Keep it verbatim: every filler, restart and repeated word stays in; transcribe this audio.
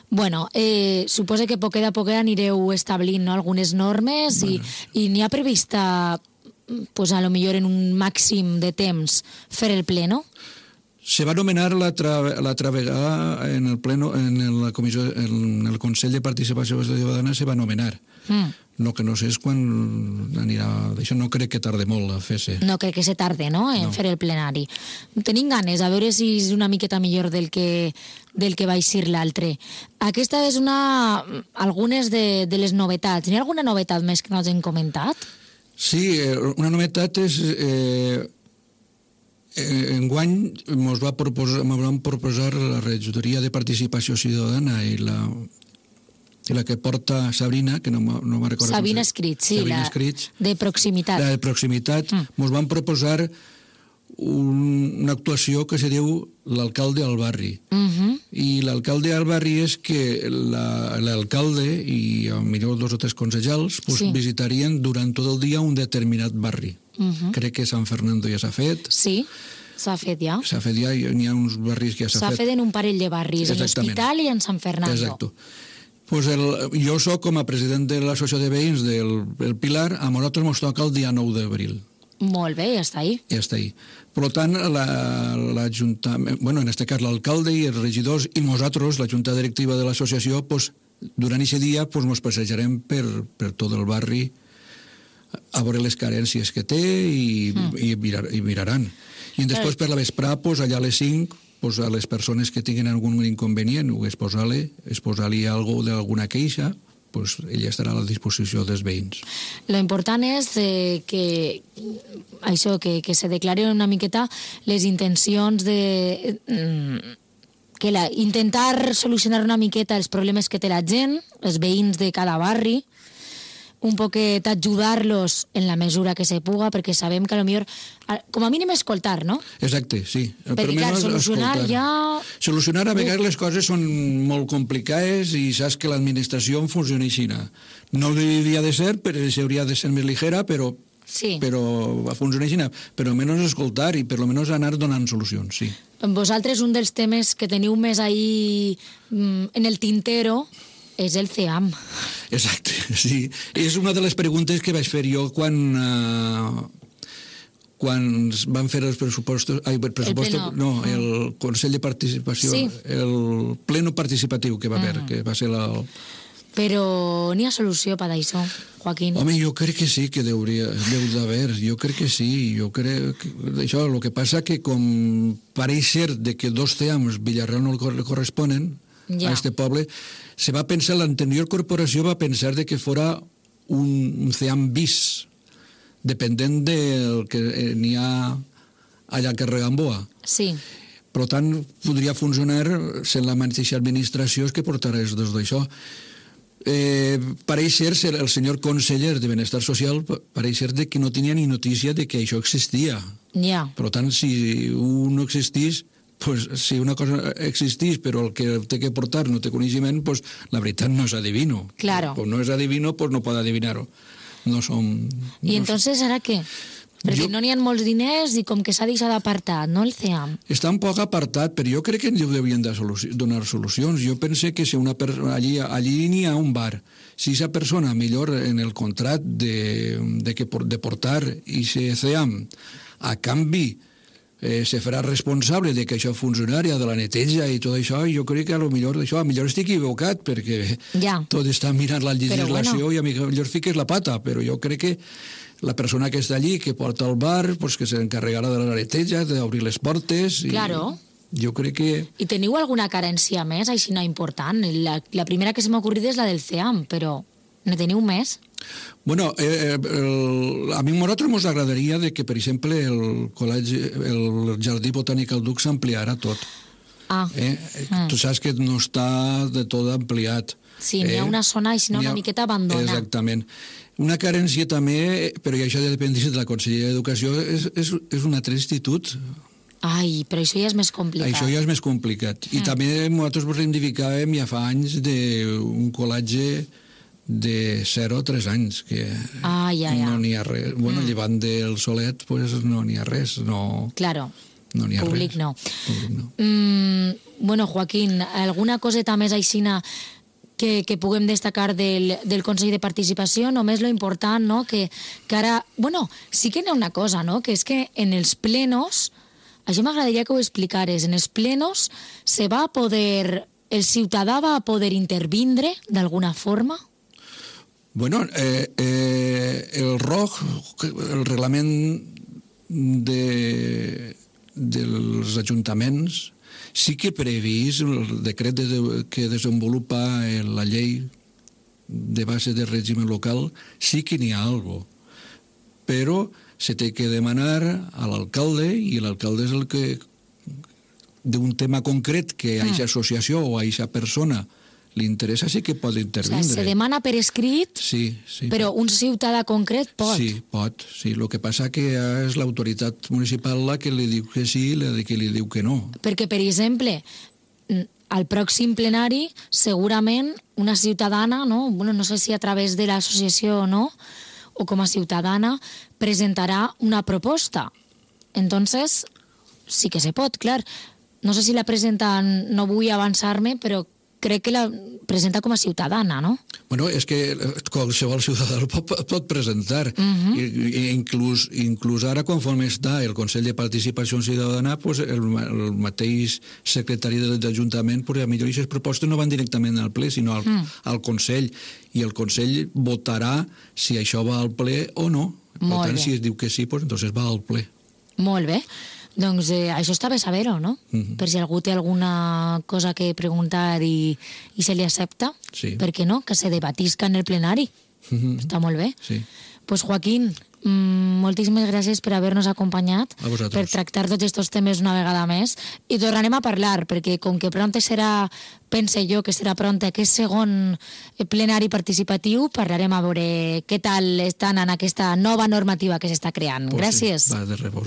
Bueno, eh, suposo que poquet a poquet anireu establint, no, algunes normes i, i n'hi ha prevista, pues, a lo millor en un màxim de temps fer el ple, no? Se va nomenar l'altra vegada en el pleno, en la comissió, en el Consell de Participació Ciutadana se va nomenar. Mm. No, que no sé és quan anirà... Això no crec que tarde molt a fer-se. No crec que se tarde, no?, en no. fer el plenari. Tenim ganes, a veure si és una miqueta millor del que, del que va eixir l'altre. Aquesta és una... algunes de, de les novetats. N'hi ha alguna novetat més que no hagin comentat? Sí, una novetat és... Eh, enguany ens va proposar, van proposar la regidoria de participació ciutadana i la, i la que porta Sabrina, que no, no me'n recordo. Sabina Escrit, sí, Sabina la Escrits, de proximitat. La de proximitat. Mm. Ens van proposar un, una actuació que se diu l'alcalde al barri. Mm-hmm. I l'alcalde al barri és que l'alcalde i millor dos o tres consellers pues, sí. visitarien durant tot el dia un determinat barri. Uh-huh. Crec que Sant Fernando ja s'ha fet. Sí, s'ha fet ja. S'ha fet ja, n'hi ha uns barris que ja s'ha, s'ha fet. S'ha fet en un parell de barris, en l'Hospital i en Sant Fernando. Exacte. Pues el, jo soc com a president de l'associació de veïns del, del Pilar, a nosaltres ens toca el dia nou d'abril. Molt bé, ja està ahí. Ja està ahí. Per tant, l'Ajuntament, bueno, en aquest cas l'alcalde i els regidors i nosaltres, la junta directiva de l'associació, pues, durant aquest dia pues, ens passejarem per, per tot el barri a veure les carències que té i, mm. i, mirar, i miraran. I després per la vesprà, pues, allà a les cinc, pues, a les persones que tinguin algun inconvenient o exposar-li exposar-li alguna queixa, pues, ella estarà a la disposició dels veïns. Lo important és eh, que això, que, que se declaren una miqueta les intencions de... Mm, que la, intentar solucionar una miqueta els problemes que té la gent, els veïns de cada barri, un poquet ajudar-los en la mesura que se puga, perquè sabem que a lo millor, com a mínim escoltar, no? Exacte, sí. Perquè clar, solucionar escoltar. Ja... Solucionar a vegades les coses són molt complicades i saps que l'administració funciona així. No hauria de ser, però hauria de ser més ligera, però sí. però funciona així. Però almenys escoltar i per almenys anar donant solucions, sí. Vosaltres un dels temes que teniu més ahí en el tintero és el C E A M. Exacte, sí. És una de les preguntes que vaig fer jo quan, uh, quan van fer els pressupostos... Ai, el pressuposto, el no, el Consell de Participació, sí. el pleno participatiu que va haver, uh-huh. que va ser la... Però n'hi ha solució per això, Joaquín? Home, jo crec que sí que deuria, deu d'haver, jo crec que sí, jo crec que... Això, el que passa que com pareix ser de que dos C E A Ms Villarreal no li corresponen, ja. a este poble, se va pensar, l'anterior corporació va pensar de que fora un, un C E A M bis, dependent del que n'hi ha allà a Carrer Gamboa. Sí. Per tant, podria funcionar sent la mateixa administració que portarà els dos d'això. Eh, pareix ser, el senyor conseller de Benestar Social, pareix ser de que no tenia ni notícia de que això existia. Ja. Per tant, si un no existís, pues, si una cosa existís però el que té que portar no té coneixement, pues, la veritat no és adivino. Claro. Pues no és adivino, pues no pot adivinar-ho. No som... I no entonces ara què? Perquè jo... no n'hi ha molts diners i com que s'ha deixat apartat, no, el C E A M? Està un poc apartat, però jo crec que ens devien de soluci... donar solucions. Jo pense que si una per... allí, allí n'hi ha un bar. Si aquesta persona, millor en el contrat de, de, que, de portar i C E A M a canvi Eh, se farà responsable de que això funcionari, de la neteja i tot això, i jo crec que a lo millor això, a millor estic equivocat, perquè ja. tot està mirant la legislació bueno. i a millor fiques la pata, però jo crec que la persona que està allí, que porta el bar, pues que s'encarregarà de la neteja, d'obrir les portes... I... Claro. Jo crec que... I teniu alguna carència més, així no important? La, la primera que se m'ha ocorrit és la del C E A M, però ne teniu més? Bueno, eh, el, a mi a nosaltres ens agradaria de que, per exemple, el col·legi, el Jardí Botànic al Duc s'ampliara tot. Ah. Eh? Mm. Tu saps que no està de tot ampliat. Sí, n'hi ha eh? una zona així, una miqueta abandona. Exactament. Una carència també, però això ja depèn de la Conselleria d'Educació, és, és, és un altre institut. Ai, però això ja és més complicat. Això ja és més complicat. I mm. també nosaltres reivindicàvem ja fa anys d'un col·legi de zero a tres anys, que ah, ja, ja. no n'hi ha res. Bueno, mm. llevant del Solet, pues no n'hi ha res. No... Claro. no n'hi ha públic res. no. Públic no. Mm, bueno, Joaquín, alguna coseta més aixina que, que puguem destacar del, del Consell de Participació? Només lo important, no?, que, que ara... Bueno, sí que n'hi ha una cosa, no?, que és que en els plenos, això m'agradaria que ho explicares, en els plenos se va poder... El ciutadà va poder intervindre d'alguna forma? Bueno, eh, eh, el R O G, el reglament de, dels ajuntaments, sí que previst el decret de, que desenvolupa la llei de base de règim local, sí que n'hi ha algo, però se té que demanar a l'alcalde i l'alcalde és el que d'un tema concret que a aquesta associació o a aquesta persona li interessa, sí que pot intervindre. O sigui, se demana per escrit, sí, sí, però un ciutadà concret pot. Sí, pot. Sí. El que passa que és l'autoritat municipal la que li diu que sí i la que li diu que no. Perquè, per exemple, al pròxim plenari, segurament una ciutadana, no, bueno, no sé si a través de l'associació o no, o com a ciutadana, presentarà una proposta. Entonces, sí que se pot, clar. No sé si la presenta, no vull avançar-me, però crec que la presenta com a ciutadana, no? Bueno, és que qualsevol ciutadà el pot, pot presentar. Uh-huh. I, i inclús, inclús ara, conforme està el Consell de Participació Ciutadana, pues el, el mateix secretari de l'Ajuntament, pues, a millor aquestes propostes no van directament al ple, sinó al, uh-huh. al Consell. I el Consell votarà si això va al ple o no. Per Molt tant, bé. si es diu que sí, pues, entonces va al ple. Molt bé. Doncs eh, això està bé saber-ho, no? Uh-huh. Per si algú té alguna cosa que preguntar i, i se li accepta, sí. Per què no? Que se debatisca en el plenari. Uh-huh. Està molt bé. Sí. Pues Joaquín, mmm, moltíssimes gràcies per haver-nos acompanyat, a vosaltres, per tractar tots aquests temes una vegada més, i tornarem a parlar, perquè com que pronte serà, pense jo que serà pronte aquest segon plenari participatiu, parlarem a veure què tal estan en aquesta nova normativa que s'està creant. Pues gràcies. Sí. Va, de res.